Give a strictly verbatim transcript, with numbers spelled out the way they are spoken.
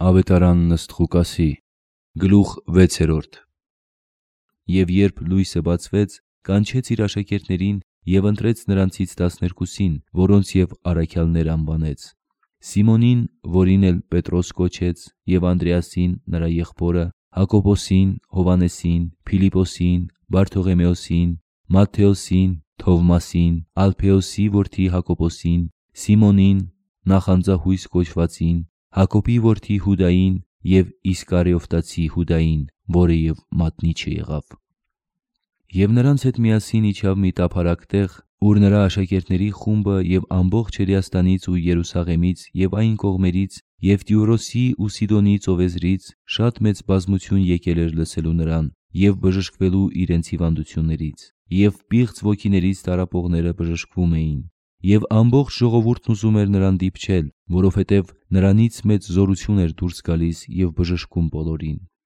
Ավետարանն ըստ Ղուկասի, գլուխ վեցերորդ։ Եվ երբ լույսը բացվեց, կանչեց իր աշակերտներին և ընտրեց նրանցից տասներկուսին, որոնց և առաքյալներ անվանեց. Սիմոնին, որին էլ Պետրոս կոչեց, և Անդրեասին նրա եղբորը, Հակոբոսին, Հովանեսին, Փիլիպոսին, Բարթողեմեոսին, Մատթեոսին, Թովմասին, Ալփեոսի որդի Հակոբոսին, Սիմոնին, նախանձահույս կոչվածին, Հակոբի որդի Հուդային և Իսկարիովտացի Հուդային, որը և մատնիչը եղավ։ Եվ նրանց հետ միասին իջավ մի տափարակ տեղ, ուր նրա աշակերտների խումբը և ամբողջ Հրեաստանից ու Երուսաղեմից և այն կողմերից և Տիուրոսի ու Սիդոնի ծովեզրից շատ մեծ բազմություն եկել էր լսելու նրան և բժշկվելու իրենց հիվանդություններից, և պիղծ ոգիներից տառապողները բժշկվում էին, և ամբողջ ժողովուրդն ուզում էր նրան դիպչել, որովհետև նրանից մեծ զորություն էր դուրս գալիս և բժշկում բոլորին։